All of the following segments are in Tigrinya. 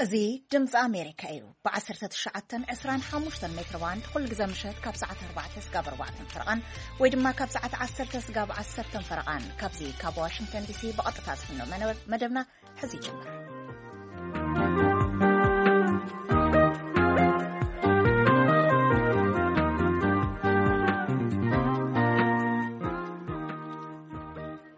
እዚ ድምፂ ኣሜሪካ እዩ። ብ19፣ 25 ሜትር ባንድ ኩሉ ግዜ ምሸት ካብ ሰዓት ኣርባዕተ ስጋብ ኣርባዕተ ፈረቓን ወይ ድማ ካብ ሰዓት ዓሰርተ ስጋብ ዓሰርተ ፈረቓን ካብዚ ካብ ዋሽንግተን ዲሲ ብቐጥታ ዝፍኖ መነ-፣ መደብና ሕዚ ይጅምር።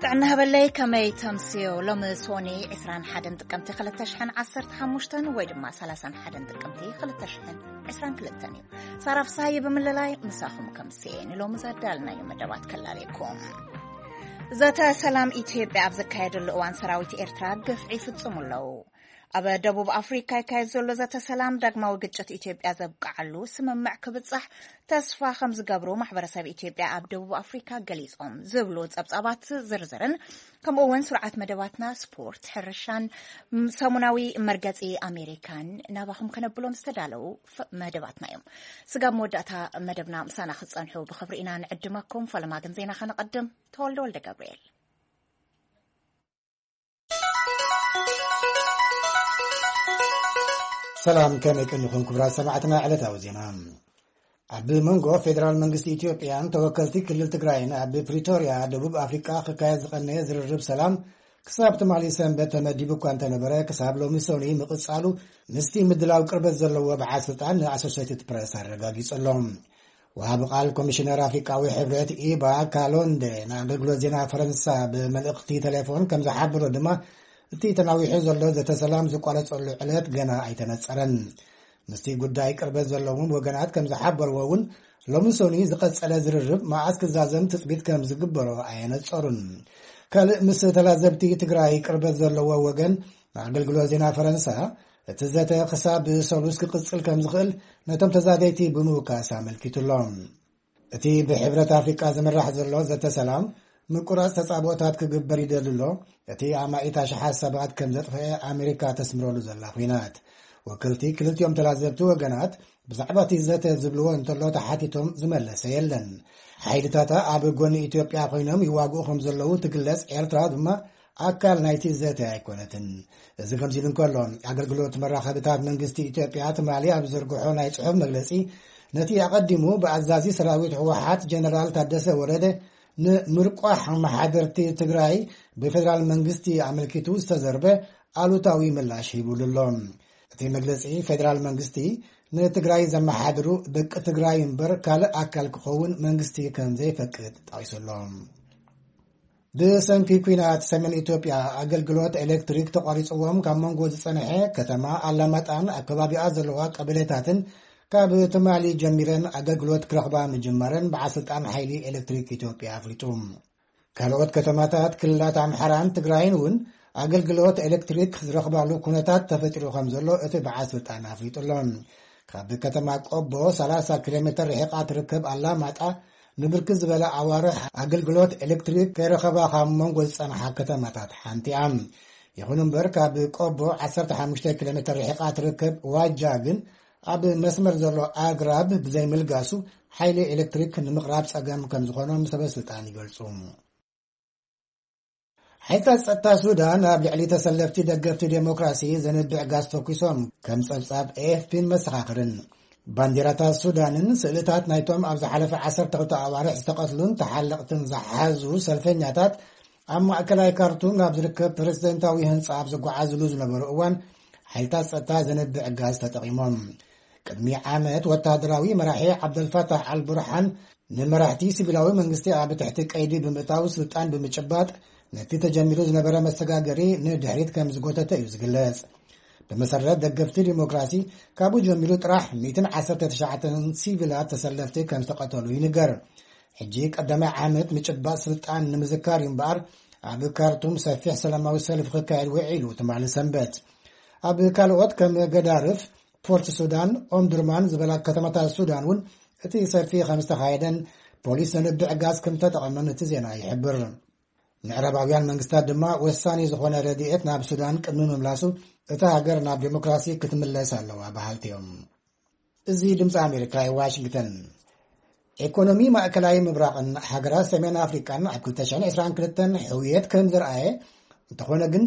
ጥዕና ሃበለይ፣ ከመይ ተምስዮ? ሎሚ ሶኒ ዕስራን ሓደን ጥቅምቲ ክልተ ሽሕን ዓሰርተ ሓሙሽተን ወይ ድማ ሰላሳን ሓደን ጥቅምቲ ክልተ ሽሕን ዕስራን ክልተን እዩ። ሳራ ፍስሃየ ብምልላይ ምሳኹም ከምስየ ንሎሚ ዘዳልናዮ መደባት ከላልየኩም። ዘተ ሰላም ኢትዮጵያ ኣብ ዘካየደሉ እዋን ሰራዊት ኤርትራ ግፍዒ ይፍጽሙ ኣለዉ። ኣብ ደቡብ ኣፍሪካ ይካየድ ዘሎ ዘተ ሰላም ዳግማዊ ግጭት ኢትዮጵያ ዘብቅዓሉ ስምምዕ ክብጻሕ ተስፋ ከም ዝገብሩ ማሕበረሰብ ኢትዮጵያ ኣብ ደቡብ ኣፍሪካ ገሊጾም ዝብሉ ጸብጻባት ዝርዝርን ከምኡ እውን ስርዓት መደባትና ስፖርት፣ ሕርሻን ሰሙናዊ መርገጺ ኣሜሪካን ናባኹም ከነብሎም ዝተዳለዉ ፍ-፣ መደባትና እዮም። ስጋብ መወዳእታ መደብና ምሳና ክትጸንሑ ብኽብሪ ኢና ንዕድመኩም። ፈለማ ግን ዜና ከነቐድም። ተወልደ ወልደ ገብርኤል። ሰላም፣ ከመይ ቀኒኹም ክቡራት ሰማዕትና? ዕለታዊ ዜና። ኣብ መንጎ ፌደራል መንግስቲ ኢትዮጵያን ተወከልቲ ክልል ትግራይን ኣብ ፕሪቶርያ፣ ደቡብ ኣፍሪቃ ክካየድ ዝቐነየ ዝርርብ ሰላም ክሳብ ትማሊ ሰንበት ተመዲቡ እኳ እንተነበረ፣ ክሳብ ሎሚ ሰኑይ ምቕጻሉ ምስቲ ምድላው ቅርበት ዘለዎ በዓል ስልጣን ንኣሶሴትድ ፕረስ ኣረጋጊጹ ኣሎ። ወሃቢ ቃል ኮሚሽነር ኣፍሪቃዊ ሕብረት ኢባ ካሎንደ ንኣገልግሎት ዜና ፈረንሳ ብመልእኽቲ ቴሌፎን ከም ዝሓበሮ ድማ፣ እቲ ተናዊሑ ዘሎ ዘተ ሰላም ዝቋረጸሉ ዕለት ገና ኣይተነጸረን። ምስቲ ጉዳይ ቅርበት ዘለዎም ወገናት ከም ዝሓበርዎ እውን፣ ሎሚ ሰኑይ ዝቐጸለ ዝርርብ መዓስ ክዛዘም ትጽቢት ከም ዝግበሮ ኣየነጸሩን። ካልእ ምስ ተላዘብቲ ትግራይ ቅርበት ዘለዎ ወገን ንኣገልግሎት ዜና ፈረንሳ፣ እቲ ዘተ ክሳብ ሰሉስ ክቕጽል ከም ዝኽእል ነቶም ተዛተይቲ ብምውካስ ኣመልኪቱ ኣሎ። እቲ ብሕብረት ኣፍሪቃ ዝምራሕ ዘሎ ዘተ ሰላም ምቁራጽ ተጻብኦታት ክግበር ይደሊ ኣሎ። እቲ ኣማኢት ኣሽሓት ሰባት ከም ዘጥፈአ ኣሜሪካ ተስምረሉ ዘላ ኲናት። ወከልቲ ክልቲኦም ተላዘብቲ ወገናት ብዛዕባ እቲ ዘተ ዝብልዎ እንተሎ ተሓቲቶም ዝመለሰ የለን። ሓይልታታ ኣብ ጎኒ ኢትዮጵያ ኮይኖም ይዋግኡ ከም ዘለዉ ትግለጽ ኤርትራ ድማ ኣካል ናይቲ ዘተ ኣይኮነትን። እዚ ከምዚ ኢሉ እንከሎ፣ ኣገልግሎት መራኸብታት መንግስቲ ኢትዮጵያ ትማሊ ኣብ ዘርግሖ ናይ ጽሑፍ መግለጺ፣ ነቲ ኣቐዲሙ ብኣዛዚ ሰራዊት ህወሓት ጀነራል ታደሰ ወረደ ንምርቋሕ ኣመሓደርቲ ትግራይ ብፌደራል መንግስቲ ኣመልኪቱ ዝተዘርበ ኣሉታዊ ምላሽ ሂቡሉ ኣሎ። እቲ መግለጺ፣ ፌደራል መንግስቲ ንትግራይ ዘመሓድሩ ደቂ ትግራይ እምበር ካልእ ኣካል ክኸውን መንግስቲ ከም ዘይፈቅድ ጠቒሱ ኣሎ። ብሰንኪ ኲናት ሰሜን ኢትዮጵያ ኣገልግሎት ኤሌክትሪክ ተቋሪጽዎም ካብ መንጎ ዝጸንሐ ከተማ ኣላማጣን ኣብ ከባቢኣ ዘለዋ ቀበሌታትን ካብ ትማሊ ጀሚረን ኣገልግሎት ክረኽባ ምጅማረን በዓል ስልጣን ሓይሊ ኤሌክትሪክ ኢትዮጵያ ኣፍሊጡ። ካልኦት ከተማታት ክልላት ኣምሓራን ትግራይን እውን ኣገልግሎት ኤሌክትሪክ ዝረኽባሉ ኩነታት ተፈጢሩ ከም ዘሎ እቲ በዓል ስልጣን ኣፍሊጡ ኣሎ። ካብ ከተማ ቆቦ ሰላሳ ኪሎ ሜትር ርሒቓ ትርከብ ኣላማጣ ንብርክት ዝበለ ኣዋርሕ ኣገልግሎት ኤሌክትሪክ ከይረኸባ ካብ መንጎ ዝጸንሓ ከተማታት ሓንቲ እያ። ይኹን እምበር፣ ካብ ቆቦ ዓሰርተ ሓሙሽተ ኪሎ ሜትር ርሒቓ ትርከብ ዋጃ ግን ኣብ መስመር ዘሎ ኣግራብ ብዘይምልጋሱ ሓይሊ ኤሌክትሪክ ንምቕራብ ጸገም ከም ዝኾኖም ሰበ ስልጣን ይገልጹ። ሓይልታት ጸጥታ ሱዳን ኣብ ልዕሊ ተሰለፍቲ ደገፍቲ ዴሞክራሲ ዘንብዕ ጋዝ ተኩሶም፣ ከም ጸብጻብ ኤኤፍፒን መሰኻኽርን። ባንዲራታት ሱዳንን ስእልታት ናይቶም ኣብ ዝሓለፈ ዓሰርተ ክልተ ኣዋርሕ ዝተቐትሉን ተሓለቕትን ዝሓዙ ሰልፈኛታት ኣብ ማእከላይ ካርቱም ናብ ዝርከብ ፕሬዝደንታዊ ህንጻ ኣብ ዝጓዓዝሉ ዝነበሩ እዋን፣ ሓይልታት ጸጥታ ዘንብዕ ጋዝ ተጠቒሞም። ቅድሚ ዓመት ወተሃደራዊ መራሒ ዓብደልፋታሕ ኣልቡርሓን ንመራሕቲ ሲቪላዊ መንግስቲ ኣብ ትሕቲ ቀይዲ ብምእታው ስልጣን ብምጭባጥ፣ ነቲ ተጀሚሩ ዝነበረ መሰጋገሪ ንድሕሪት ከም ዝጎተተ እዩ ዝግለጽ። ብመሰረት ደገፍቲ ዲሞክራሲ፣ ካብኡ ጀሚሩ ጥራሕ ሚእትን ዓሰርተ ትሽዓተን ሲቪላት ተሰለፍቲ ከም ዝተቐተሉ ይንገር። ሕጂ ቀዳማይ ዓመት ምጭባጥ ስልጣን ንምዝካር እዩ እምበኣር፣ ኣብ ካርቱም ሰፊሕ ሰላማዊ ሰልፊ ክካየድ ውዒሉ ትማሊ ሰንበት። ኣብ ካልኦት ከም ገዳርፍ፣ ፖርት ሱዳን፣ ኦምዱርማን ዝበላ ከተማታት ሱዳን እውን እቲ ሰልፊ ከም ዝተኻየደን ፖሊስ ዘንብዕ ጋዝ ከም ዝተጠቐመን እቲ ዜና ይሕብር። ምዕራባውያን መንግስታት ድማ ወሳኒ ዝኾነ ረድኤት ናብ ሱዳን ቅድሚ ምምላሱ እታ ሃገር ናብ ዴሞክራሲ ክትምለስ ኣለዋ በሃልቲ እዮም። እዚ ድምፂ ኣሜሪካ እዩ፣ ዋሽንግተን። ኢኮኖሚ ማእከላይ ምብራቕን ሃገራት ሰሜን ኣፍሪቃን ኣብ ክልተ ሽሕን ዕስራን ክልተን ሕውየት ከም ዘርኣየ፣ እንተኾነ ግን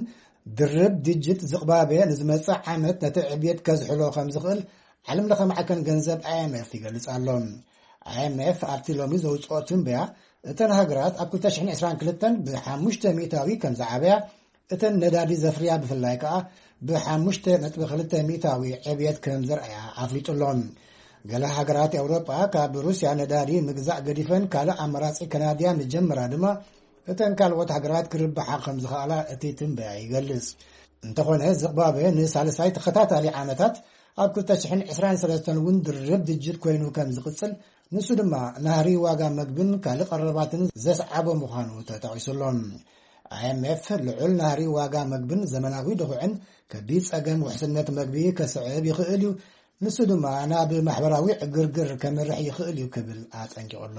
ድርብ ድጅት ዝቕባበ ንዝመጽእ ዓመት ነቲ ዕብየት ከዝሕሎ ከም ዝኽእል ዓለም ለኸ ማዕከን ገንዘብ ኣይ ኤም ኤፍ ይገልጽ ኣሎ። ኣይ ኤም ኤፍ ኣብቲ ሎሚ ዘውጽኦ ትንበያ፣ እተን ሃገራት ኣብ ክልተ ሽሕን ዕስራን ክልተን ብ ሓሙሽተ ሚእታዊ ከም ዝዓበያ፣ እተን ነዳዲ ዘፍርያ ብፍላይ ከኣ ብ ሓሙሽተ ነጥቢ ክልተ ሚእታዊ ዕብየት ከም ዘርኣያ ኣፍሊጡ ኣሎ። ገለ ሃገራት ኤውሮጳ ካብ ሩስያ ነዳዲ ምግዛእ ገዲፈን ካልእ ኣማራጺ ከናድያ ምጀመራ ድማ፣ እተን ካልኦት ሃገራት ክርብሓ ከም ዝኽኣላ እቲ ትንበያ ይገልጽ። እንተኾነ፣ ዝቕባበ ንሳልሳይ ተኸታታሊ ዓመታት ኣብ ክልተ ሽሕን ዕስራን ሰለስተን እውን ድርብ ድጅት ኮይኑ ከም ዝቕጽል፣ ንሱ ድማ ናህሪ ዋጋ መግብን ካልእ ቀረባትን ዘስዓቦ ምዃኑ ተጠቒሱ ኣሎ። ኣይ ኤም ኤፍ ልዑል ናህሪ ዋጋ መግብን ዘመናዊ ድኹዕን ከቢድ ጸገም ውሕስነት መግቢ ከስዕብ ይኽእል እዩ፣ ንሱ ድማ ናብ ማሕበራዊ ዕግርግር ከምርሕ ይኽእል እዩ ክብል ኣጠንቂቑ ኣሎ።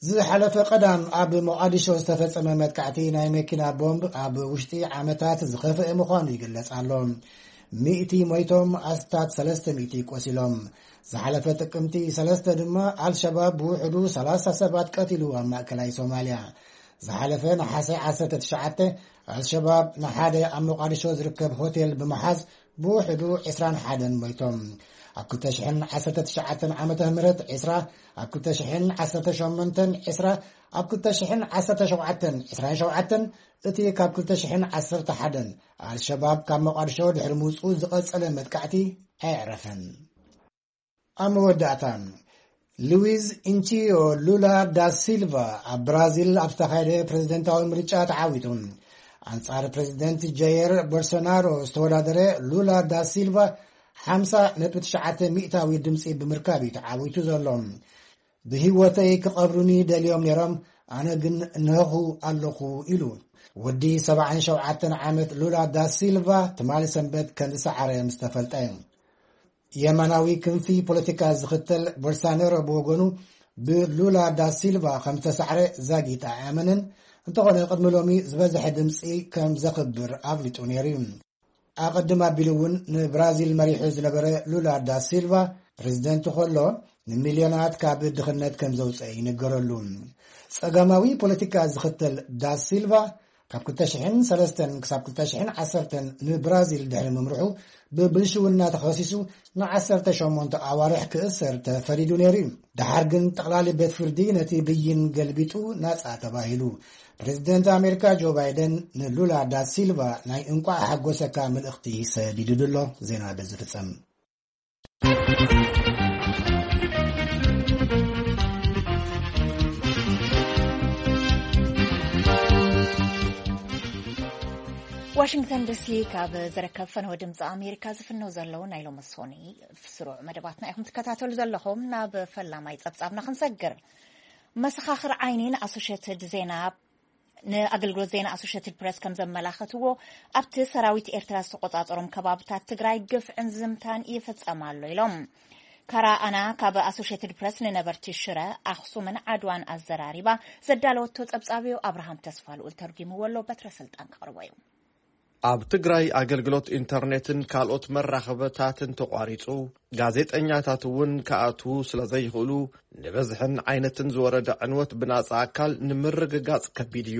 ዝሓለፈ ቀዳም ኣብ ሞቓዲሾ ዝተፈጸመ መጥቃዕቲ ናይ መኪና ቦምብ ኣብ ውሽጢ ዓመታት ዝኸፍአ ምዃኑ ይግለጽ ኣሎ። ሚእቲ ሞይቶም፣ ኣስታት ሰለስተ ሚእቲ ቆሲሎም። ዝሓለፈ ጥቅምቲ ሰለስተ ድማ ኣልሸባብ ብውሕዱ ሰላሳ ሰባት ቀቲሉ ኣብ ማእከላይ ሶማልያ። ዝሓለፈ ነሓሰ ዓሰርተ ትሽዓተ ኣልሸባብ ንሓደ ኣብ ሞቓዲሾ ዝርከብ ሆቴል ብምሓዝ ብውሕዱ ዕስራን ሓደን ሞይቶም። ኣብ ክልተ ሽሕን ዓሰርተ ትሽዓተን ዓመተ ምህረት ዕስራ፣ ኣብ ክልተ ሽሕን ዓሰርተ ሸሞንተን ዕስራ፣ ኣብ ክልተ ሽሕን ዓሰርተ ሸውዓተን ዕስራን ሸውዓተን፣ እቲ ካብ ክልተ ሽሕን ዓሰርተ ሓደን ኣልሸባብ ካብ ሞቓዲሾ ድሕሪ ምውጽኡ ዝቐጸለ መጥቃዕቲ ኣየዕረፈን። ኣብ መወዳእታ፣ ሉዊዝ ኢንቺዮ ሉላ ዳ ሲልቫ ኣብ ብራዚል ኣብ ዝተኻየደ ፕሬዝደንታዊ ምርጫ ተዓዊቱ። ኣንጻር ፕሬዝደንት ጃየር ቦልሶናሮ ዝተወዳደረ ሉላ ዳ ሲልቫ ሓምሳ ነጥቢ ትሽዓተ ሚእታዊ ድምጺ ብምርካብ እዩ ተዓዊቱ ዘሎ። "ብህይወተይ ክቐብሩኒ ደልዮም ነይሮም፣ ኣነ ግን እነሆኹ ኣለኹ" ኢሉ። ወዲ ሰብዓን ሸውዓተን ዓመት ሉላ ዳ ሲልቫ ትማሊ ሰንበት ከም ዝሰዓረ ምስ ተፈልጠ፣ የማናዊ ክንፊ ፖለቲካ ዝኽተል ቦልሶናሮ ብወገኑ፣ ብሉላ ዳ ሲልቫ ከም ዝተሳዕረ ዛጊት ኣይኣመነን። እንተኾነ፣ ቅድሚ ሎሚ ዝበዝሐ ድምጺ ከም ዘኽብር ኣፍሊጡ ነይሩ እዩ። ኣቐድም ኣቢሉ እውን ንብራዚል መሪሑ ዝነበረ ሉላ ዳ ሲልቫ፣ ፕሬዝደንት ከሎ፣ ንሚልዮናት ካብ ድኽነት ከም ዘውፀአ ይንገረሉ። ጸጋማዊ ፖለቲካ ዝኽተል ዳ ሲልቫ፣ ካብ ክልተ ሽሕን ሰለስተን ክሳብ ክልተ ሽሕን ዓሰርተን ንብራዚል ድሕሪ ምምርሑ፣ ብብልሽውና ተኸሲሱ ንዓሰርተ ሸሞንተ ኣዋርሕ ክእሰር ተፈሪዱ ነይሩ እዩ። ደሓር ግን ጠቕላሊ ቤት ፍርዲ ነቲ ብይን ገልቢጡ ናጻ ተባሂሉ። ፕሬዝደንት ኣሜሪካ ጆ ባይደን ንሉላ ዳ ሲልቫ ናይ እንቋዕ ሓጎሰካ መልእኽቲ ሰዲዱ ኣሎ። ዜና በዚ ፍጸም። ዋሽንግተን ዲሲ ካብ ዝርከብ ፈነወ ድምፂ ኣሜሪካ ዝፍነው ዘለዉ ናይ ሎሚ ሶኒ ስሩዕ መደባትና ኢኹም ትከታተሉ ዘለኹም። ናብ ፈላማይ ጸብጻብና ክንሰግር። መሰኻኽር ዓይኒ ንኣሶሼትድ ዜና፣ ንኣገልግሎት ዜና ኣሶሼትድ ፕረስ ከም ዘመላኸትዎ፣ ኣብቲ ሰራዊት ኤርትራ ዝተቆጻጸሮም ከባብታት ትግራይ ግፍዕን ዝምታን ይፍጸም ኣሎ ኢሎም። ካራ ኣና ካብ ኣሶሼትድ ፕረስ ንነበርቲ ሽረ፣ ኣኽሱምን ዓድዋን ኣዘራሪባ ዘዳለወቶ ጸብጻብ እዩ። ኣብርሃም ተስፋ ልኡል ተርጒምዎ ኣሎ። በትረ ስልጣን ከቕርቦ እዩ። ኣብ ትግራይ ኣገልግሎት ኢንተርኔትን ካልኦት መራኸብታትን ተቋሪጹ፣ ጋዜጠኛታት እውን ክኣትዉ ስለ ዘይኽእሉ፣ ንበዝሕን ዓይነትን ዝወረደ ዕንወት ብናጻ ኣካል ንምርግጋጽ ከቢድ እዩ።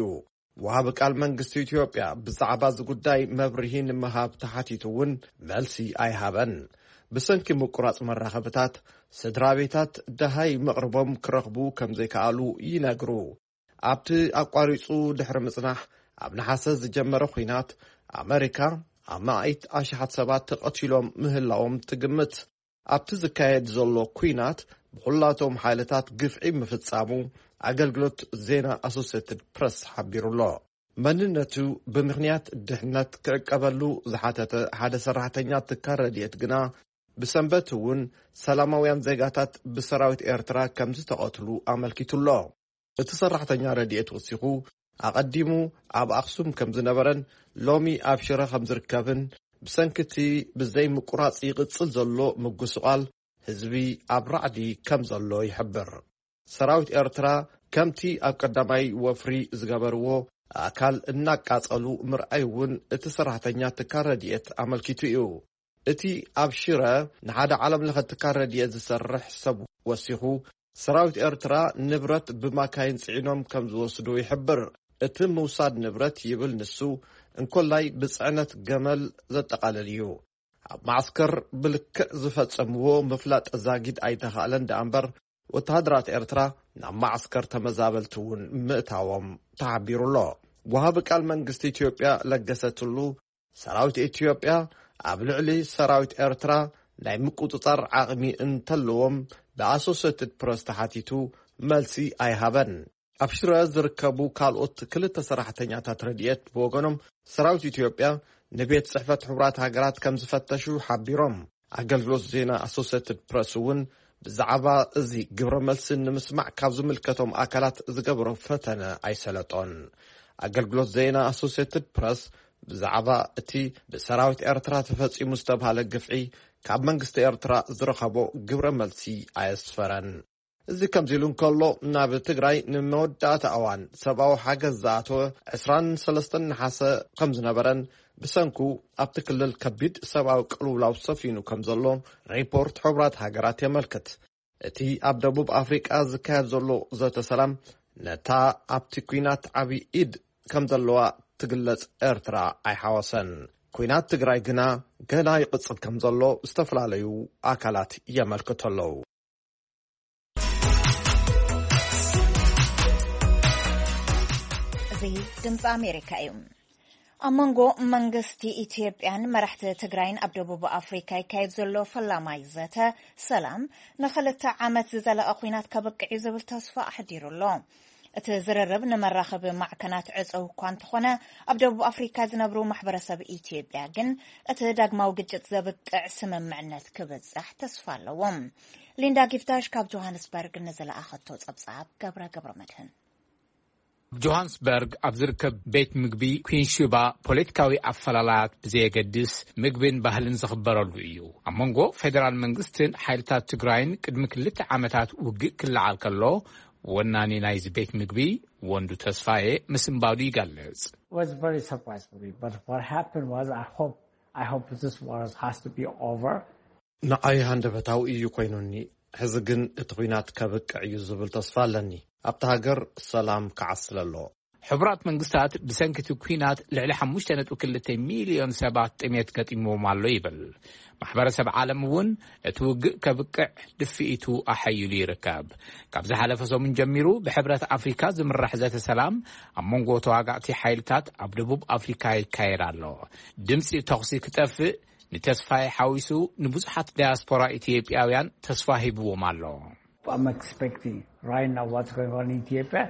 ወሃቢ ቃል መንግስቲ ኢትዮጵያ ብዛዕባ እዚ ጉዳይ መብርሂ ንምሃብ ተሓቲቱ እውን መልሲ ኣይሃበን። ብሰንኪ ምቁራጽ መራኸብታት፣ ስድራ ቤታት ደሃይ መቕርቦም ክረኽቡ ከም ዘይከኣሉ ይነግሩ። ኣብቲ ኣቋሪጹ ድሕሪ ምጽናሕ፣ ኣብ ነሓሰ ዝጀመረ ኲናት፣ ኣመሪካ ኣማኢት ኣሽሓት ሰባት ተቐቲሎም ምህላዎም ትግምት። ኣብቲ ዝካየድ ዘሎ ኲናት፣ ብኹላቶም ሓይልታት ግፍዒ ምፍጻሙ ኣገልግሎት ዜና ኣሶሴትድ ፕረስ ሓቢሩ ኣሎ። መንነቱ ብምኽንያት ድሕነት ክዕቀበሉ ዝሓተተ ሓደ ሰራሕተኛ ትካል ረድኤት ግና፣ ብሰንበት እውን ሰላማውያን ዜጋታት ብሰራዊት ኤርትራ ከም ዝተቐትሉ ኣመልኪቱ ኣሎ። እቲ ሰራሕተኛ ረድኤት ወሲኹ፣ ኣቐዲሙ ኣብ ኣኽሱም ከም ዝነበረን ሎሚ ኣብ ሽረ ከም ዝርከብን፣ ብሰንኪ እቲ ብዘይ ምቁራጽ ይቕጽል ዘሎ ምጉስቓል ህዝቢ ኣብ ራዕዲ ከም ዘሎ ይሕብር። ሰራዊት ኤርትራ ከምቲ ኣብ ቀዳማይ ወፍሪ ዝገበርዎ ኣካል እናቃጸሉ ምርኣይ እውን እቲ ሰራሕተኛ ትካል ረድኤት ኣመልኪቱ እዩ። እቲ ኣብ ሽረ ንሓደ ዓለም ለኸ ትካል ረድኤት ዝሰርሕ ሰብ ወሲኹ፣ ሰራዊት ኤርትራ ንብረት ብማካይን ጽዒኖም ከም ዝወስዱ ይሕብር። እቲ ምውሳድ ንብረት ይብል ንሱ፣ እንኮላይ ብጽዕነት ገመል ዘጠቓልል እዩ። ኣብ ማዕስከር ብልክዕ ዝፈጸምዎ ምፍላጥ ዛጊድ ኣይተኻእለን ደኣ እምበር፣ ወተሃደራት ኤርትራ ናብ ማዕስከር ተመዛበልቲ እውን ምእታዎም ተሓቢሩ ኣሎ። ወሃቢ ቃል መንግስቲ ኢትዮጵያ ለገሰ ቱሉ፣ ሰራዊት ኢትዮጵያ ኣብ ልዕሊ ሰራዊት ኤርትራ ናይ ምቁጽጻር ዓቕሚ እንተለዎም ብኣሶሴትድ ፕረስ ተሓቲቱ መልሲ ኣይሃበን። ኣብ ሽረ ዝርከቡ ካልኦት ክልተ ሰራሕተኛታት ረድኤት ብወገኖም፣ ሰራዊት ኢትዮጵያ ንቤት ጽሕፈት ሕቡራት ሃገራት ከም ዝፈተሹ ሓቢሮም። ኣገልግሎት ዜና ኣሶሴትድ ፕረስ እውን ብዛዕባ እዚ ግብረ መልሲ ንምስማዕ ካብ ዝምልከቶም ኣካላት ዝገበሮ ፈተነ ኣይሰለጦን። ኣገልግሎት ዜና ኣሶሴትድ ፕረስ ብዛዕባ እቲ ብሰራዊት ኤርትራ ተፈጺሙ ዝተባህለ ግፍዒ ካብ መንግስቲ ኤርትራ ዝረኸቦ ግብረ መልሲ ኣየስፈረን። እዚ ከምዚ ኢሉ እንከሎ፣ ናብ ትግራይ ንመወዳእታ እዋን ሰብኣዊ ሓገዝ ዝኣተወ ዕስራን ሰለስተን ነሓሰ ከም ዝነበረን፣ ብሰንኩ ኣብቲ ክልል ከቢድ ሰብኣዊ ቅልውላው ሰፊኑ ከም ዘሎ ሪፖርት ሕቡራት ሃገራት የመልክት። እቲ ኣብ ደቡብ ኣፍሪቃ ዝካየድ ዘሎ ዘተ ሰላም፣ ነታ ኣብቲ ኲናት ዓቢ ኢድ ከም ዘለዋ ትግለጽ ኤርትራ ኣይሓወሰን። ኲናት ትግራይ ግና ገና ይቕጽል ከም ዘሎ ዝተፈላለዩ ኣካላት የመልክቱ ኣለዉ። እዚ ድምፂ ኣሜሪካ እዩ። ኣብ መንጎ መንግስቲ ኢትዮጵያን መራሕቲ ትግራይን ኣብ ደቡብ ኣፍሪካ ይካየድ ዘሎ ፈላማይ ዘተ ሰላም፣ ንክልተ ዓመት ዝዘለቐ ኲናት ከብቅዕ እዩ ዝብል ተስፋ ኣሕዲሩ ኣሎ። እቲ ዝርርብ ንመራኸቢ ማዕከናት ዕፅው እኳ እንተኾነ፣ ኣብ ደቡብ ኣፍሪካ ዝነብሩ ማሕበረሰብ ኢትዮጵያ ግን እቲ ዳግማዊ ግጭት ዘብቅዕ ስምምዕነት ክብፃሕ ተስፋ ኣለዎም። ሊንዳ ጊፍታሽ ካብ ጆሃንስበርግ ንዝለኣኸቶ ፀብፃብ ገብረ ገብረ መድህን። ኣብ ጆሃንስበርግ ኣብ ዝርከብ ቤት ምግቢ ኩንሹባ፣ ፖለቲካዊ ኣፈላላያት ብዘየገድስ፣ ምግብን ባህልን ዝኽበረሉ እዩ። ኣብ መንጎ ፌደራል መንግስትን ሓይልታት ትግራይን ቅድሚ ክልተ ዓመታት ውግእ ክለዓል ከሎ፣ ወናኒ ናይዚ ቤት ምግቢ ወንዱ ተስፋዬ ምስንባዱ ይገልጽ። Was very surprised for me, but what happened was, I hope, I hope this war has to be over. ንዓይ ሃንደበታዊ እዩ ኮይኑኒ። ሕዚ ግን እቲ ኲናት ከብቅዕ እዩ ዝብል ተስፋ ኣለኒ። ኣብቲ ሃገር ሰላም ክዓስል ኣሎ። ሕቡራት መንግስታት ብሰንኪ እቲ ኲናት ልዕሊ ሓሙሽተ ነጥቢ ክልተ ሚልዮን ሰባት ጥሜት ገጢምዎም ኣሎ ይብል። ማሕበረሰብ ዓለም እውን እቲ ውግእ ከብቅዕ ድፍኢቱ ኣሐይሉ ይርከብ። ካብ ዝሓለፈ ሰሙን ጀሚሩ ብሕብረት ኣፍሪካ ዝምራሕ ዘተ ሰላም ኣብ መንጎ ተዋጋእቲ ሓይልታት ኣብ ደቡብ ኣፍሪካ ይካየድ ኣሎ። ድምፂ ተኹሲ ክጠፍእ ንተስፋዬ ሓዊሱ ንብዙሓት ዳያስፖራ ኢትዮጵያውያን ተስፋ ሂብዎም ኣሎ። I'm expecting right now what's going on in Ethiopia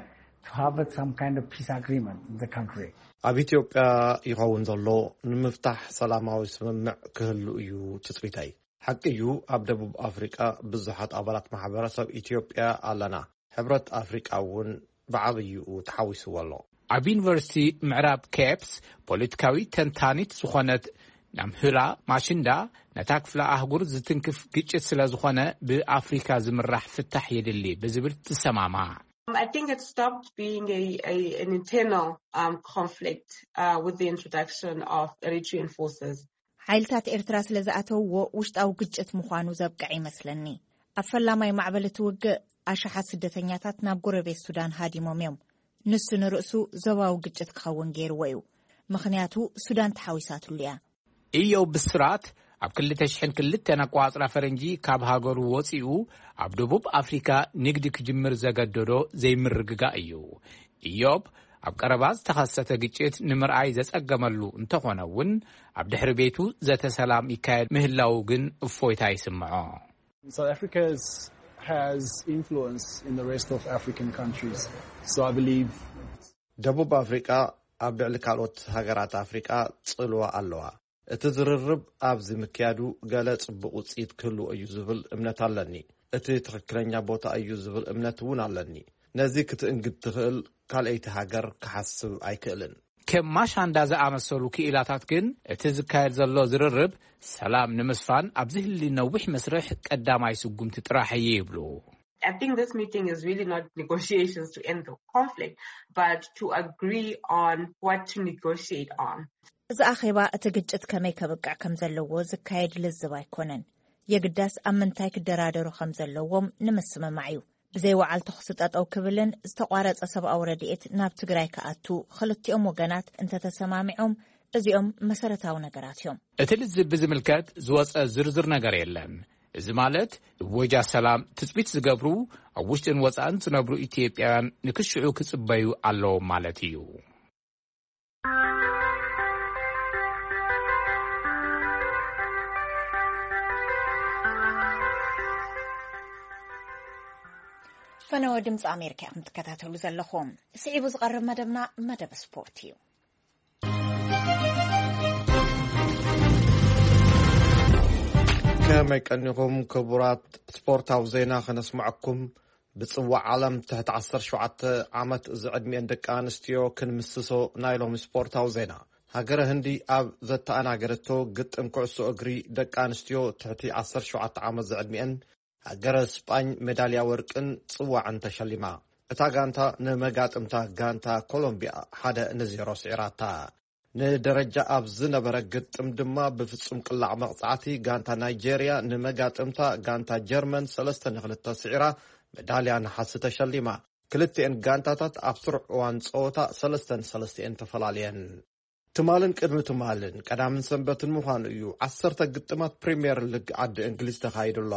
to have some kind of peace agreement in the country. ኣብ ኢትዮጵያ ይኸውን ዘሎ ንምፍታሕ ሰላማዊ ስምምዕ ክህሉ እዩ ትጽቢተይ። ሓቂ እዩ፣ ኣብ ደቡብ ኣፍሪቃ ብዙሓት ኣባላት ማሕበረሰብ ኢትዮጵያ ኣለና። ሕብረት ኣፍሪቃ እውን ብዓብይኡ ተሓዊስዎ ኣሎ። ኣብ ዩኒቨርሲቲ ምዕራብ ኬፕስ ፖለቲካዊ ተንታኒት ዝኾነት ናምህላ ማሽንዳ፣ ነታ ክፍለ ኣህጉር ዝትንክፍ ግጭት ስለ ዝኾነ ብኣፍሪካ ዝምራሕ ፍታሕ የድሊ ብዝብል ትሰማማዕ። I think it stopped being a, a, an internal um, conflict uh, with the introduction of Eritrean forces. ሓይልታት ኤርትራ ስለ ዝኣተውዎ ውሽጣዊ ግጭት ምዃኑ ዘብቅዐ ይመስለኒ። ኣብ ፈላማይ ማዕበል እቲ ውግእ ኣሽሓት ስደተኛታት ናብ ጎረቤት ሱዳን ሃዲሞም እዮም። ንሱ ንርእሱ ዞባዊ ግጭት ክኸውን ገይርዎ እዩ። ምኽንያቱ ሱዳን ተሓዊሳትሉ እያ። ኢዮብ ብስራት ኣብ ክልተ ሽሕን ክልተን ኣቋጽራ ፈረንጂ ካብ ሃገሩ ወጺኡ ኣብ ደቡብ ኣፍሪካ ንግዲ ክጅምር ዘገደዶ ዘይምርግጋእ እዩ። ኢዮብ ኣብ ቀረባ ዝተኸሰተ ግጭት ንምርኣይ ዘጸገመሉ እንተኾነ እውን ኣብ ድሕሪ ቤቱ ዘተ ሰላም ይካየድ ምህላዉ ግን እፎይታ ይስምዖ። South Africa has influence in the rest of African countries. So I believe ደቡብ ኣፍሪቃ ኣብ ልዕሊ ካልኦት ሃገራት ኣፍሪቃ ጽልዋ ኣለዋ። እቲ ዝርርብ ኣብዚ ምክያዱ ገለ ጽቡቕ ውጽኢት ክህልዎ እዩ ዝብል እምነት ኣለኒ። እቲ ትኽክለኛ ቦታ እዩ ዝብል እምነት እውን ኣለኒ። ነዚ ክትእንግድ ትኽእል ካልኣይቲ ሃገር ክሓስብ ኣይክእልን። ከም ማሻንዳ ዝኣመሰሉ ክኢላታት ግን፣ እቲ ዝካየድ ዘሎ ዝርርብ ሰላም ንምስፋን ኣብ ዝህሊ ነዊሕ መስርሕ ቀዳማይ ስጉምቲ ጥራሕ እዩ ይብሉ። I think this meeting is really not negotiations to end the conflict, but to agree on what to negotiate on. እዚ ኣኼባ እቲ ግጭት ከመይ ከብቅዕ ከም ዘለዎ ዝካየድ ልዝብ ኣይኮነን። የግዳስ ኣብ ምንታይ ክደራደሩ ከም ዘለዎም ንምስምማዕ እዩ። ዘይወዓል ተኹሲ ጠጠው ክብልን ዝተቋረጸ ሰብኣዊ ረድኤት ናብ ትግራይ ክኣቱ ክልቲኦም ወገናት እንተተሰማሚዖም፣ እዚኦም መሰረታዊ ነገራት እዮም። እቲ ልዝብ ብዝምልከት ዝወጸ ዝርዝር ነገር የለን። እዚ ማለት፣ እወጃ ሰላም ትጽቢት ዝገብሩ ኣብ ውሽጥን ወጻእን ዝነብሩ ኢትዮጵያውያን ንክሽዑ ክጽበዩ ኣለዎም ማለት እዩ። ፈነወ ድምፂ ኣሜሪካ ኢኹም ትከታተሉ ዘለኹም። ስዒቡ ዝቐርብ መደብና መደብ ስፖርት እዩ። ከመይ ቀኒኹም ክቡራት? ስፖርታዊ ዜና ከነስምዐኩም። ብጽዋዕ ዓለም ትሕቲ ዓሰርተ ሸውዓተ ዓመት ዝዕድሚኤን ደቂ ኣንስትዮ ክንምስሶ ናይ ሎሚ ስፖርታዊ ዜና። ሃገረ ህንዲ ኣብ ዘተኣናገደቶ ግጥም ኩዕሶ እግሪ ደቂ ኣንስትዮ ትሕቲ ዓሰርተ ሸውዓተ ዓመት ዝዕድሚኤን፣ ሃገረ ስጳኝ ሜዳልያ ወርቅን ጽዋዕን ተሸሊማ። እታ ጋንታ ንመጋጥምታ ጋንታ ኮሎምቢያ ሓደ ንዜሮ ስዒራታ። ንደረጃ ኣብ ዝነበረ ግጥም ድማ ብፍጹም ቅላዕ መቕጻዕቲ ጋንታ ናይጄርያ ንመጋጥምታ ጋንታ ጀርመን ሰለስተ ንክልተ ስዒራ፣ ሜዳልያ ነሓስ ተሸሊማ። ክልቲኤን ጋንታታት ኣብ ስሩዕ እዋን ጸወታ ሰለስተ ንሰለስተ እየን ተፈላልየን። ትማልን ቅድሚ ትማልን ቀዳምን ሰንበትን ምዃኑ እዩ፣ ዓሰርተ ግጥማት ፕሪምየር ሊግ ዓዲ እንግሊዝ ተኻይዱ ኣሎ።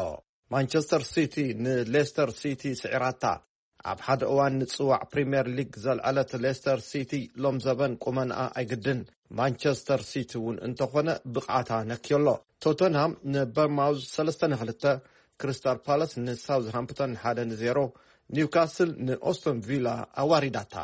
ማንቸስተር ሲቲ ንሌስተር ሲቲ ስዒራታ። ኣብ ሓደ እዋን ንጽዋዕ ፕሪምየር ሊግ ዘልዐለት ሌስተር ሲቲ ሎም ዘበን ቁመንኣ ኣይግድን። ማንቸስተር ሲቲ እውን እንተኾነ ብቕዓታ ነክዮ ኣሎ። ቶተንሃም ንበርማውዝ ሰለስተ ንክልተ፣ ክሪስታል ፓላስ ንሳውዝሃምፕተን ሓደ ንዜሮ፣ ኒውካስል ንኦስቶን ቪላ ኣዋሪዳታ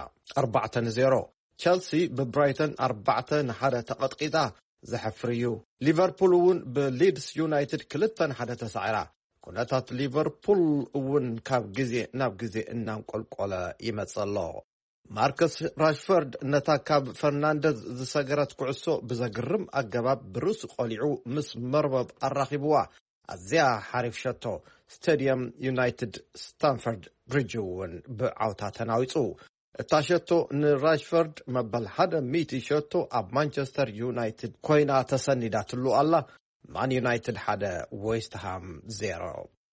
ኣርባዕተ ንዜሮ። ቸልሲ ብብራይተን ኣርባዕተ ንሓደ ተቐጥቂጣ፣ ዘሕፍር እዩ። ሊቨርፑል እውን ብሊድስ ዩናይትድ ክልተ ንሓደ ተሳዒራ። ኩነታት ሊቨርፑል እውን ካብ ግዜ ናብ ግዜ እናንቆልቆለ ይመጽእ ኣሎ። ማርከስ ራሽፈርድ ነታ ካብ ፈርናንደዝ ዝሰገረት ኩዕሶ ብዘግርም ኣገባብ ብርእሱ ቆሊዑ ምስ መርበብ ኣራኺብዋ። ኣዝያ ሓሪፍ ሸቶ። ስቴድየም ዩናይትድ ስታንፈርድ ብሪጅ እውን ብዓውታ ተናዊጹ። እታ ሸቶ ንራሽፈርድ መበል ሓደ ሚእቲ ሸቶ ኣብ ማንቸስተር ዩናይትድ ኮይና ተሰኒዳትሉ ኣላ። ማን ዩናይትድ ሓደ፣ ዌስትሃም ዜሮ።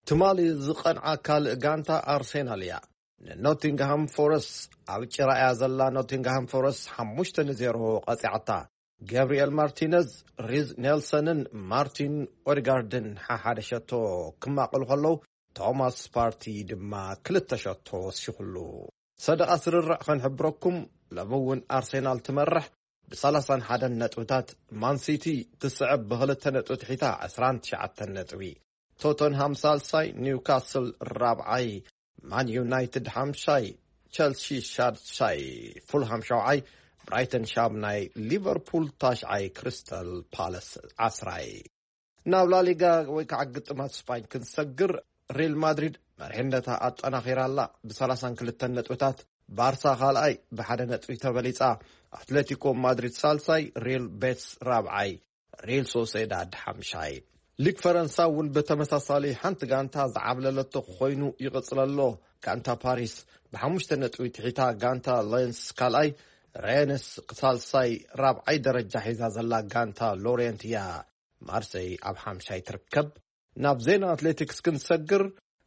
ትማሊ ዝቐንዓ ካልእ ጋንታ ኣርሴናል እያ። ንኖቲንግሃም ፎረስት ኣብ ጭራ እያ ዘላ። ኖቲንግሃም ፎረስት ሓሙሽተ ንዜሮ ቀጺዓታ። ገብርኤል ማርቲነዝ፣ ሪዝ ኔልሰንን ማርቲን ኦዲጋርድን ሓሓደ ሸቶ ክማቕሉ ከለዉ፣ ቶማስ ፓርቲ ድማ ክልተ ሸቶ ወሲኹሉ። ሰደቓ ስርርዕ ከንሕብረኩም፣ ሎሚ እውን ኣርሴናል ትመርሕ ብሰላሳን ሓደን ነጥብታት፣ ማን ሲቲ ትስዕብ ብኽልተ ነጥቢ ትሒታ ዕስራን ትሽዓተን ነጥቢ። ቶተንሃም ሳልሳይ፣ ኒውካስል ራብዓይ፣ ማን ዩናይትድ ሓምሻይ፣ ቸልሲ ሻድሻይ፣ ፉልሃም ሻውዓይ፣ ብራይተን ሻምናይ፣ ሊቨርፑል ታሽዓይ፣ ክሪስታል ፓለስ ዓስራይ። ናብ ላሊጋ ወይ ከዓ ግጥማት ስፓኝ ክንሰግር፣ ሪል ማድሪድ መሪሕነታ ኣጠናኺራ ኣላ ብሰላሳን ክልተን ነጥብታት። ባርሳ ካልኣይ ብሓደ ነጥቢ ተበሊጻ። ኣትሌቲኮ ማድሪድ ሳልሳይ፣ ሪል ቤትስ ራብዓይ፣ ሪል ሶሴዳድ ሓምሻይ። ሊግ ፈረንሳ እውን ብተመሳሳሊ ሓንቲ ጋንታ ዝዓብለለቶ ኮይኑ ይቕጽል ኣሎ። ጋንታ ፓሪስ ብሓሙሽተ ነጥቢ ትሒታ ጋንታ ሌንስ ካልኣይ፣ ሬንስ ሳልሳይ፣ ራብዓይ ደረጃ ሒዛ ዘላ ጋንታ ሎሬንት እያ። ማርሰይ ኣብ ሓምሻይ ትርከብ። ናብ ዜና ኣትሌቲክስ ክንሰግር፣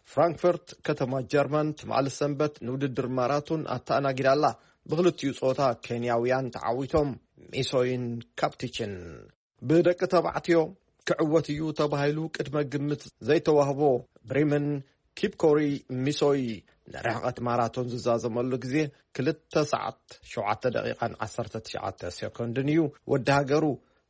ፍራንክፈርት ከተማ ጀርመን ትማሊ ሰንበት ንውድድር ማራቶን ኣተኣናጊዳ ኣላ። ብክልቲኡ ጾታ ኬንያውያን ተዓዊቶም፣ ሚሶይን ካፕቲችን። ብደቂ ተባዕትዮ ክዕወት እዩ ተባሂሉ ቅድመ ግምት ዘይተዋህቦ ብሪምን ኪፕኮሪ ሚሶይ ንርሕቐት ማራቶን ዝዛዘመሉ ግዜ ክልተ ሰዓት ሸውዓተ ደቂቓን ዓሰርተ ትሽዓተ ሴኮንድን እዩ። ወዲ ሃገሩ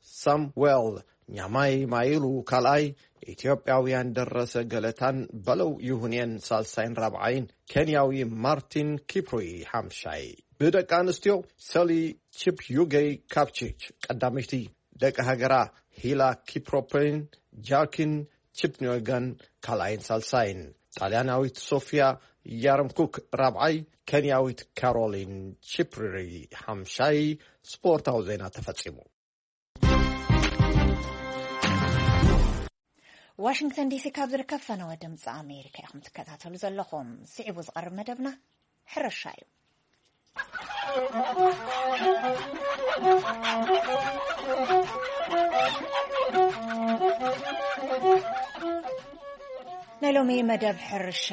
ሳምዌል ኛማይ ማይሉ ካልኣይ፣ ኢትዮጵያውያን ደረሰ ገለታን በለው ይሁኔን ሳልሳይን ራብዓይን፣ ኬንያዊ ማርቲን ኪፕሩይ ሓምሻይ። ብደቂ ኣንስትዮ ሰሊ ቺፕዩገይ ካፕቺች ቀዳመይቲ፣ ደቂ ሃገራ ሂላ ኪፕሮፕሪን ጃርኪን ቺፕኒዮጋን ካልኣይን ሳልሳይን፣ ጣልያናዊት ሶፊያ ያረምኩክ ራብዓይ፣ ኬንያዊት ካሮሊን ቺፕሪ ሓምሻይ። ስፖርታዊ ዜና ተፈጺሙ። ዋሽንግተን ዲሲ ካብ ዝርከብ ፈነወ ድምፂ ኣሜሪካ ኢኹም ትከታተሉ ዘለኹም። ስዒቡ ዝቐርብ መደብና ሕርሻ እዩ። ናይ ሎሚ መደብ ሕርሻ፣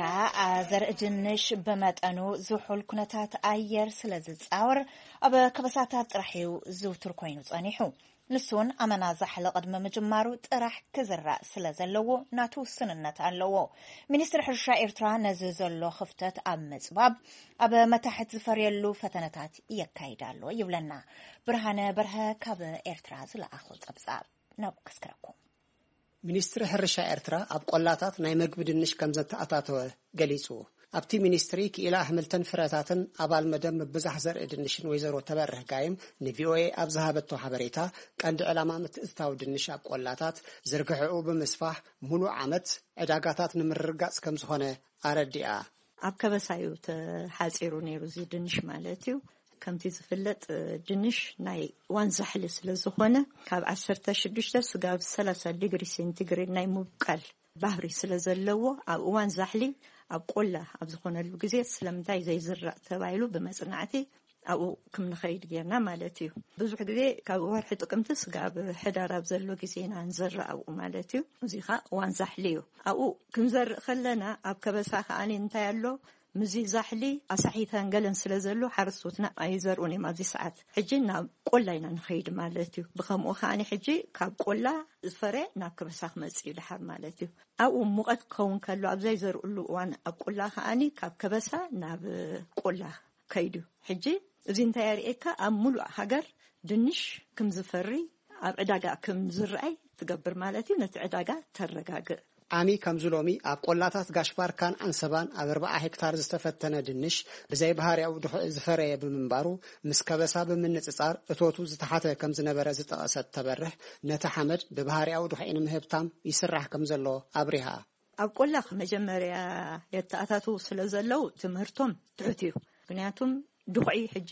ዘርኢ ድንሽ ብመጠኑ ዝሑል ኩነታት ኣየር ስለ ዝጻወር፣ ኣብ ከበሳታት ጥራሕ እዩ ዝውቱር ኮይኑ ጸኒሑ። ንሱን ኣመና ዛሕሊ ቅድሚ ምጅማሩ ጥራሕ ክዝራእ ስለ ዘለዎ ናቱ ውስንነት ኣለዎ። ሚኒስትሪ ሕርሻ ኤርትራ ነዚ ዘሎ ክፍተት ኣብ ምጽባብ፣ ኣብ መታሕት ዝፈርየሉ ፈተነታት የካይድ ኣሎ ይብለና። ብርሃነ በርሀ ካብ ኤርትራ ዝለኣኾ ጸብጻብ ናብ ከስክረኩም። ሚኒስትሪ ሕርሻ ኤርትራ ኣብ ቆላታት ናይ መግቢ ድንሽ ከም ዘተኣታተወ ገሊጹ። ኣብቲ ሚኒስትሪ ክኢላ ኣሕምልትን ፍረታትን ኣባል መደብ ምብዛሕ ዘርኢ ድንሽን ወይዘሮ ተበርህ ጋይም ንቪኦኤ ኣብ ዝሃበቶ ሓበሬታ፣ ቀንዲ ዕላማ ምትእትታው ድንሽ ኣብ ቆላታት ዝርግሐኡ ብምስፋሕ፣ ሙሉእ ዓመት ዕዳጋታት ንምርግጋጽ ከም ዝኾነ ኣረዲኣ። ኣብ ከበሳ እዩ ተሓጺሩ ነይሩ እዚ ድንሽ ማለት እዩ። ከምቲ ዝፍለጥ፣ ድንሽ ናይ እዋን ዛሕሊ ስለ ዝኾነ፣ ካብ ዓሰርተ ሽዱሽተ ስጋብ ሰላሳ ዲግሪ ሴንቲግሬድ ናይ ምብቃል ባህሪ ስለ ዘለዎ፣ ኣብ እዋን ዛሕሊ ኣብ ቆላ ኣብ ዝኾነሉ ግዜ ስለምንታይ ዘይዝራእ ተባሂሉ ብመጽናዕቲ ኣብኡ ክም ንኸይድ ጌርና ማለት እዩ። ብዙሕ ግዜ ካብ ወርሒ ጥቅምቲ ስጋብ ሕዳር ኣብ ዘሎ ግዜ ኢና ንዘርእ ኣብኡ ማለት እዩ። እዚ ኸኣ እዋን ዛሕሊ እዩ። ኣብኡ ክንዘርእ ከለና ኣብ ከበሳ ከኣ እንታይ ኣሎ፣ ምዚ ዛሕሊ ኣሳሒታን ገለን ስለ ዘሎ ሓረስቶትና ኣይዘርኡን እዮም ኣብዚ ሰዓት። ሕጂ ናብ ቆላ ኢና ንኸይድ ማለት እዩ። ብኸምኡ ከኣ ሕጂ ካብ ቆላ ዝፈረ ናብ ከበሳ ክመጽእ እዩ ድሓር ማለት እዩ። ኣብኡ ሙቐት ክኸውን ከሎ ኣብ ዘይዘርኡሉ እዋን ኣብ ቆላ ከኣ ካብ ከበሳ ናብ ቆላ ከይዱ። ሕጂ እዚ እንታይ የርእየካ? ኣብ ሙሉእ ሃገር ድንሽ ክም ዝፈሪ፣ ኣብ ዕዳጋ ክም ዝረኣይ ትገብር ማለት እዩ። ነቲ ዕዳጋ ተረጋግእ። ዓሚ ከምዚ ሎሚ ኣብ ቆላታት ጋሽ ባርካን ዓንሰባን ኣብ ኣርብዓ ሄክታር ዝተፈተነ ድንሽ ብዘይ ባህርያዊ ድኹዒ ዝፈረየ ብምንባሩ፣ ምስ ከበሳ ብምንጽጻር እቶቱ ዝተሓተ ከም ዝነበረ ዝጠቐሰት ተበርህ፣ ነቲ ሓመድ ብባህርያዊ ድኹዒ ንምህብታም ይስራሕ ከም ዘሎ ኣብሪሃ። ኣብ ቆላ መጀመርያ የተኣታትዉ ስለ ዘለዉ ትምህርቶም ትሑት እዩ። ምክንያቱም ድኹዒ ሕጂ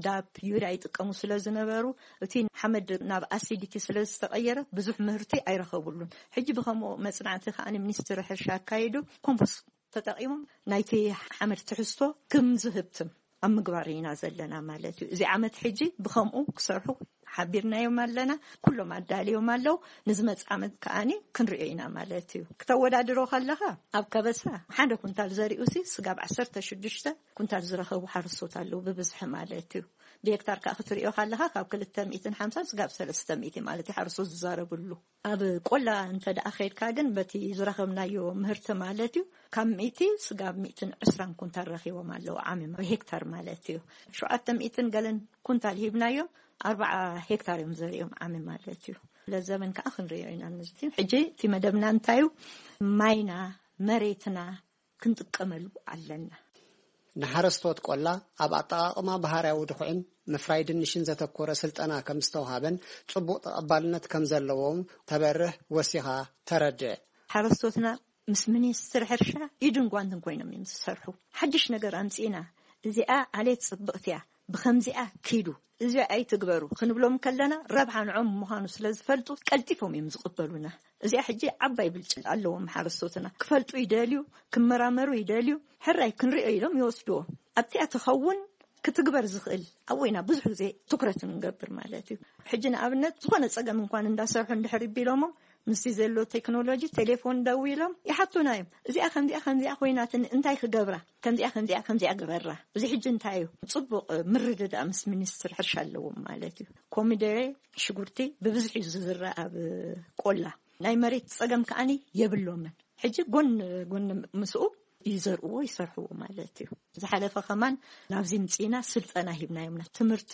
ዳፕ፣ ዩርያ ይጥቀሙ ስለ ዝነበሩ፣ እቲ ሓመድ ናብ ኣሲዲቲ ስለ ዝተቐየረ ብዙሕ ምህርቲ ኣይረኸቡሉን። ሕጂ ብኸምኡ መጽናዕቲ ከኣ ሚኒስትሪ ሕርሻ ኣካይዱ ኮምፖስት ተጠቒሞም ናይቲ ሓመድ ትሕዝቶ ክም ዝህብትም ኣብ ምግባር ኢና ዘለና ማለት እዩ። እዚ ዓመት ሕጂ ብኸምኡ ክሰርሑ ሓቢርናዮም ኣለና። ኩሎም ኣዳልዮም ኣለዉ። ንዝመጽእ ዓመት ከኣ ክንሪኦ ኢና ማለት እዩ። ክተወዳድሮ ከለኻ ኣብ ከበሳ ሓደ ኩንታል ዘሪኡሲ ስጋብ ዓሰርተ ሽዱሽተ ኩንታል ዝረኸቡ ሓረስቶት ኣለዉ ብብዝሒ ማለት እዩ። ብሄክታር ከኣ ክትሪኦ ከለኻ ካብ ክልተ ሚእትን ሓምሳን ስጋብ ሰለስተ ሚእቲ ማለት እዩ ሓረስቶት ዝዛረብሉ። ኣብ ቆላ እንተ ደኣ ኸይድካ ግን በቲ ዝረኸብናዮ ምህርቲ ማለት እዩ፣ ካብ ሚእቲ ስጋብ ሚእትን ዕስራን ኩንታል ረኺቦም ኣለዉ ዓሚ ሄክታር ማለት እዩ። ሸውዓተ ሚእትን ገለን ኩንታል ሂብናዮም፣ ኣርብዓ ሄክታር እዮም ዘሪኦም ዓሚ ማለት እዩ። ለዘበን ከኣ ክንሪኦ ኢና። ነዚ ሕጂ እቲ መደብና እንታይ እዩ? ማይና፣ መሬትና ክንጥቀመሉ ኣለና። ንሓረስቶት ቆላ ኣብ ኣጠቓቕማ ባህርያዊ ድኹዕን ምፍራይ ድንሽን ዘተኮረ ስልጠና ከም ዝተውሃበን ጽቡቕ ተቐባልነት ከም ዘለዎም ተበርህ ወሲኻ ተረድእ። ሓረስቶትና ምስ ሚኒስትሪ ሕርሻ ኢድን ጓንትን ኮይኖም እዮም ዝሰርሑ። ሓድሽ ነገር ኣምጺእና፣ እዚኣ ዓሌት ጽብቕቲ እያ፣ ብኸምዚኣ ኪዱ፣ እዚኣ ኣይትግበሩ ክንብሎም ከለና ረብሓ ንዖም ምዃኑ ስለ ዝፈልጡ ቀልጢፎም እዮም ዝቕበሉና። እዚኣ ሕጂ ዓባይ ብልጫ ኣለዎም ሓረስቶትና። ክፈልጡ ይደልዩ፣ ክመራመሩ ይደልዩ፣ ሕራይ ክንሪኦ ኢሎም ይወስድዎ። ኣብቲኣ ትኸውን ክትግበር ዝኽእል ኣብኡ ኢና ብዙሕ ግዜ ትኩረት ንገብር ማለት እዩ። ሕጂ ንኣብነት ዝኾነ ጸገም እንኳን እንዳሰርሑ እንድሕር ቢሎሞ ምስቲ ዘሎ ቴክኖሎጂ ቴሌፎን ደዊሎም ይሓቱና እዮም። እዚኣ ከምዚኣ ከምዚኣ ኮይናትኒ እንታይ ክገብራ? ከምዚኣ ከምዚኣ ከምዚኣ ግበራ። እዚ ሕጂ እንታይ እዩ? ጽቡቕ ምርድዳእ ምስ ሚኒስትሪ ሕርሻ ኣለዎም ማለት እዩ። ኮሚደረ፣ ሽጉርቲ ብብዝሒ እዩ ዝዝራእ ኣብ ቆላ። ናይ መሬት ጸገም ከኣኒ የብሎምን። ሕጂ ጎን ጎን ምስኡ ይዘርእዎ ይሰርሕዎ ማለት እዩ። ዝሓለፈ ከማን ናብዚ ምጽኢና ስልጠና ሂብናዮምና። ትምህርቲ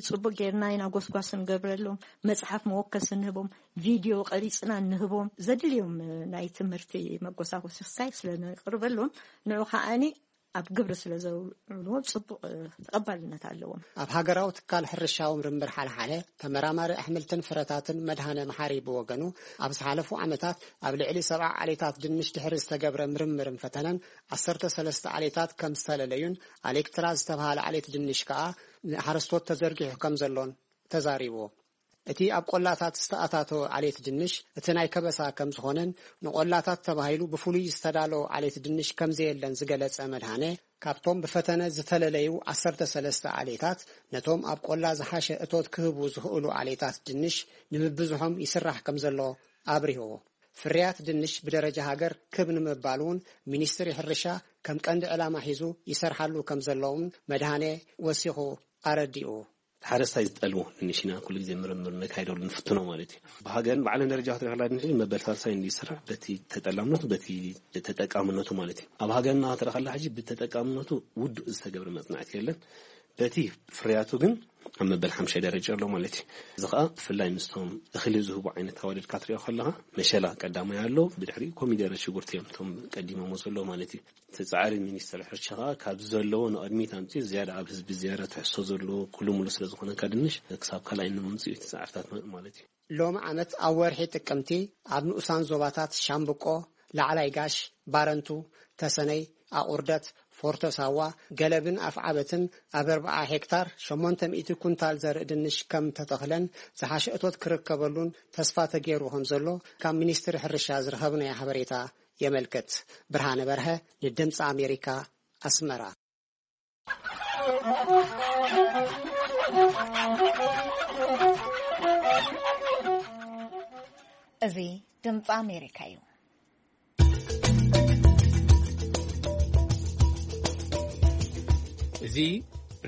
ጽቡቅ ጌርና ኢና ጎስጓስ ንገብረሎም፣ መጽሓፍ መወከሲ ንህቦም፣ ቪድዮ ቀሪጽና ንህቦም፣ ዘድልዮም ናይ ትምህርቲ መጎሳጎሲ ክሳይ ስለ ነቅርበሎም ንዑ ከኣኒ ኣብ ግብሪ ስለ ዘውዕልዎ ጽቡቅ ተቐባልነት ኣለዎም። ኣብ ሃገራዊ ትካል ሕርሻዊ ምርምር ሓልሓለ ተመራማሪ ኣሕምልትን ፍረታትን መድሃነ መሓሪ ብወገኑ፣ ኣብ ዝሓለፉ ዓመታት ኣብ ልዕሊ ሰብዓ ዓሌታት ድንሽ ድሕሪ ዝተገብረ ምርምርን ፈተነን ዓሰርተ ሰለስተ ዓሌታት ከም ዝተለለዩን ኣሌክትራ ዝተባህለ ዓሌት ድንሽ ከኣ ንሓረስቶት ተዘርጊሑ ከም ዘሎን ተዛሪቡ። እቲ ኣብ ቆላታት ዝተኣታተወ ዓሌት ድንሽ እቲ ናይ ከበሳ ከም ዝኾነን ንቆላታት ተባሂሉ ብፍሉይ ዝተዳለወ ዓሌት ድንሽ ከም ዘየለን ዝገለጸ መድሃነ፣ ካብቶም ብፈተነ ዝተለለዩ ዓሰርተ ሰለስተ ዓሌታት ነቶም ኣብ ቆላ ዝሓሸ እቶት ክህቡ ዝኽእሉ ዓሌታት ድንሽ ንምብዝሖም ይስራሕ ከም ዘሎ ኣብሪሁ። ፍርያት ድንሽ ብደረጃ ሃገር ክብ ንምባል እውን ሚኒስትሪ ሕርሻ ከም ቀንዲ ዕላማ ሒዙ ይሰርሓሉ ከም ዘለውን መድሃኔ ወሲኹ ኣረዲኡ። ሓረስታይ ዝጠልቦ ድንሽ ኢና ኩሉ ግዜ ምርምር ነካይደሉ ንፍትኖ ማለት እዩ። ብሃገርን ባዕለን ደረጃ ክትሪኦ ከላ ድንሽ መበል ሳልሳይ እንዲ ይስራሕ በቲ ተጠላምነቱ፣ በቲ ተጠቃምነቱ ማለት እዩ። ኣብ ሃገርና ክትሪኦ ከላ ሕጂ ብተጠቃምነቱ ውዱእ ዝተገብረ መጽናዕቲ የለን። በቲ ፍርያቱ ግን ኣብ መበል ሓምሻይ ደረጃ ኣሎ ማለት እዩ። እዚ ኸኣ ብፍላይ ምስቶም እኽሊ ዝህቡ ዓይነት ኣዋልድ ክትሪኦ ከለኻ መሸላ ቀዳማይ ኣሎ፣ ብድሕሪኡ ኮሚደረ ሽጉርቲ እዮም እቶም ቀዲሞሞ ዘሎ ማለት እዩ። እቲ ጻዕሪ ሚኒስትሪ ሕርሻ ኸኣ ካብዚ ዘለዎ ንቕድሚት ኣምጺኡ ዝያዳ ኣብ ህዝቢ ዝያዳ ትሕዝቶ ዘለዎ ኩሉ ሙሉ ስለ ዝኾነ ድንሽ ክሳብ ካልኣይ ንምምጽኡ እቲ ጻዕርታት ማለት እዩ። ሎሚ ዓመት ኣብ ወርሒ ጥቅምቲ ኣብ ንኡሳን ዞባታት ሻምብቆ፣ ላዕላይ ጋሽ፣ ባረንቱ፣ ተሰነይ፣ ኣቑርደት፣ ፎርቶ ሳዋ፣ ገለብን ኣፍዓበትን ኣብ ኣርብዓ ሄክታር ሸሞንተ ሚእቲ ኩንታል ዘርኢ ድንሽ ከም ተተኽለን ዝሓሸ እቶት ክርከበሉን ተስፋ ተገይሩ ከም ዘሎ ካብ ሚኒስትሪ ሕርሻ ዝረኸብናዮ ሓበሬታ የመልክት። ብርሃነ በርሀ ንድምፂ ኣሜሪካ ኣስመራ። እዚ ድምፂ ኣሜሪካ እዩ። እዚ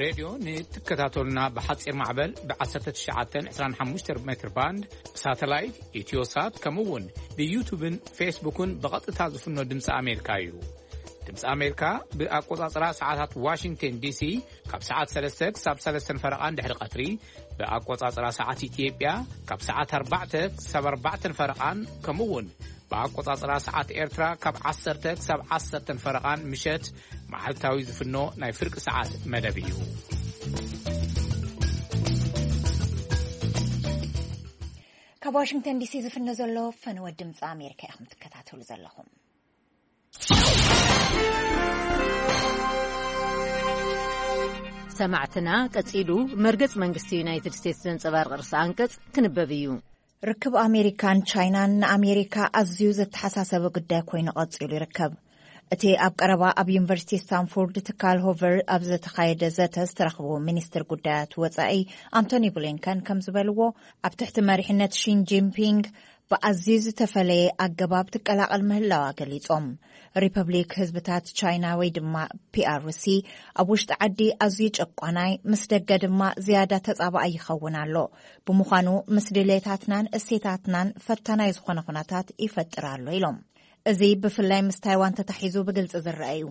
ሬድዮ ንትከታተሉና ብሓፂር ማዕበል ብ1925 ሜትር ባንድ ብሳተላይት ኢትዮሳት ከምኡ እውን ብዩቱብን ፌስቡክን ብቐጥታ ዝፍኖ ድምፂ ኣሜሪካ እዩ። ድምፂ ኣሜሪካ ብኣቆፃፅራ ሰዓታት ዋሽንግተን ዲሲ ካብ ሰዓት ሰለስተ ክሳብ ሰለስተን ፈረቓን ድሕሪ ቀትሪ፣ ብኣቆፃፅራ ሰዓት ኢትዮጵያ ካብ ሰዓት ኣርባዕተ ክሳብ ኣርባዕተን ፈረቓን ከምኡ እውን ብኣቆጻጽራ ሰዓት ኤርትራ ካብ ዓሰርተ ክሳብ ዓሰርተን ፈረቓን ምሸት መዓልታዊ ዝፍኖ ናይ ፍርቂ ሰዓት መደብ እዩ። ካብ ዋሽንግተን ዲሲ ዝፍኖ ዘሎ ፈነወ ድምፂ ኣሜሪካ ኢኹም ትከታተሉ ዘለኹም። ሰማዕትና፣ ቀጺሉ መርገጽ መንግስቲ ዩናይትድ ስቴትስ ዘንጸባርቕ ርእሰ ኣንቀጽ ክንበብ እዩ። ርክብ ኣሜሪካን ቻይናን ንኣሜሪካ ኣዝዩ ዘተሓሳሰበ ጉዳይ ኮይኑ ቀጺሉ ይርከብ። እቲ ኣብ ቀረባ ኣብ ዩኒቨርሲቲ ስታንፎርድ ትካል ሆቨር ኣብ ዝተኻየደ ዘተ ዝተረኽቡ ሚኒስትር ጉዳያት ወጻኢ ኣንቶኒ ብሊንከን ከም ዝበልዎ፣ ኣብ ትሕቲ መሪሕነት ሺን ጂንፒንግ ብኣዝዩ ዝተፈለየ ኣገባብ ትቀላቐል ምህላዋ ገሊጾም። ሪፐብሊክ ህዝብታት ቻይና ወይ ድማ ፒ ኣር ሲ ኣብ ውሽጢ ዓዲ ኣዝዩ ጨቋናይ፣ ምስ ደገ ድማ ዝያዳ ተጻባኣይ ይኸውን ኣሎ። ብምዃኑ ምስ ድሌታትናን እሴታትናን ፈታናይ ዝኾነ ኩነታት ይፈጥር ኣሎ ኢሎም። እዚ ብፍላይ ምስ ታይዋን ተታሒዙ ብግልጺ ዝረአ እዩ።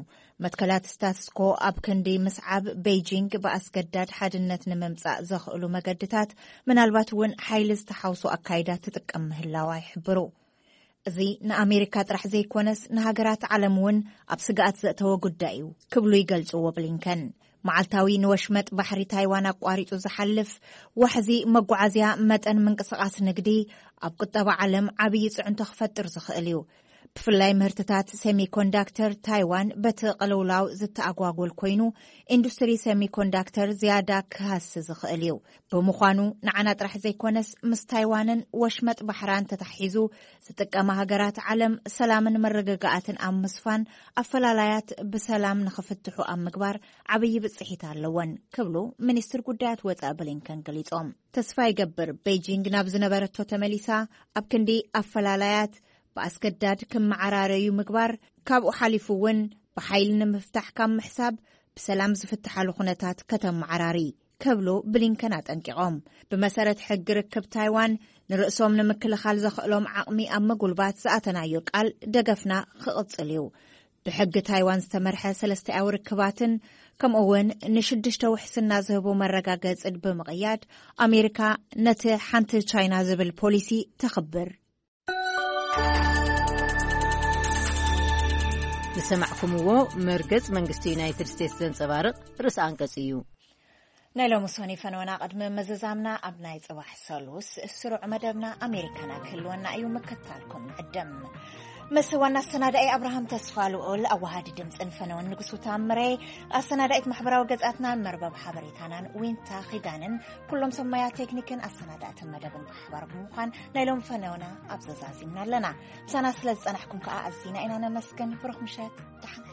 መትከላት ስታትስኮ ኣብ ክንዲ ምስዓብ፣ ቤይጂንግ ብኣስገዳድ ሓድነት ንምምጻእ ዘኽእሉ መገድታት፣ ምናልባት እውን ሓይሊ ዝተሓውሶ ኣካይዳ ትጥቀም ምህላዋ ይሕብሩ። እዚ ንኣሜሪካ ጥራሕ ዘይኮነስ ንሃገራት ዓለም እውን ኣብ ስግኣት ዘእተወ ጉዳይ እዩ ክብሉ ይገልጽዎ ብሊንከን። መዓልታዊ ንወሽመጥ ባሕሪ ታይዋን ኣቋሪጹ ዝሓልፍ ዋሕዚ መጓዓዝያ መጠን ምንቅስቓስ ንግዲ ኣብ ቁጠባ ዓለም ዓብዪ ጽዕንቶ ክፈጥር ዝኽእል እዩ። ብፍላይ ምህርትታት ሴሚኮንዳክተር ታይዋን በቲ ቅልውላው ዝተኣጓጎል ኮይኑ፣ ኢንዱስትሪ ሴሚኮንዳክተር ዝያዳ ክሃሲ ዝኽእል እዩ። ብምዃኑ ንዓና ጥራሕ ዘይኮነስ ምስ ታይዋንን ወሽመጥ ባሕራን ተታሒዙ ዝጥቀማ ሃገራት ዓለም ሰላምን መረጋጋኣትን ኣብ ምስፋን ኣፈላላያት ብሰላም ንኽፍትሑ ኣብ ምግባር ዓብዪ ብጽሒት ኣለወን ክብሉ ሚኒስትር ጉዳያት ወጻኢ ብሊንከን ገሊጾም። ተስፋ ይገብር ቤይጂንግ ናብ ዝነበረቶ ተመሊሳ ኣብ ክንዲ ኣፈላላያት ብኣስገዳድ ክመዓራረዩ ምግባር፣ ካብኡ ሓሊፉ እውን ብሓይሊ ንምፍታሕ ካብ ምሕሳብ ብሰላም ዝፍትሓሉ ኩነታት ከተመዓራሪ ክብሉ ብሊንከን ኣጠንቂቖም። ብመሰረት ሕጊ ርክብ ታይዋን ንርእሶም ንምክልኻል ዘኽእሎም ዓቕሚ ኣብ ምጉልባት ዝኣተናዮ ቃል ደገፍና ክቕጽል እዩ። ብሕጊ ታይዋን ዝተመርሐ ሰለስተያዊ ርክባትን ከምኡ እውን ንሽዱሽተ ውሕስና ዝህቡ መረጋገጽን ብምቕያድ ኣሜሪካ ነቲ ሓንቲ ቻይና ዝብል ፖሊሲ ተኽብር። ዝሰማዕኩምዎ መርገጽ መንግስቲ ዩናይትድ ስቴትስ ዘንጸባርቕ ርእሰ ኣንቀጽ እዩ። ናይ ሎሚ ሶኒ ፈነወና ቅድሚ ምዝዛምና ኣብ ናይ ጽባሕ ሰሉስ ስሩዕ መደብና ኣሜሪካና ክህልወና እዩ፣ ምክታልኩም ንዕድም። ምስ ዋና ኣሰናዳኢ ኣብርሃም ተስፋ ልኡል፣ ኣዋሃዲ ድምፅን ፈነወን ንጉሱ ታምሬ፣ ኣሰናዳኢት ማሕበራዊ ገጻትናን መርበብ ሓበሬታናን ዊንታ ኺዳንን ኩሎም ሰብ ሞያ ቴክኒክን ኣሰናዳእትን መደብን ብሓባር ብምዃን ናይ ሎም ፈነወና ኣብ ዘዛዚምና ኣለና። ምሳና ስለ ዝጸናሕኩም ከኣ ኣዚና ኢና ነመስግን። ብሩኽ ምሸት፣ ደሓን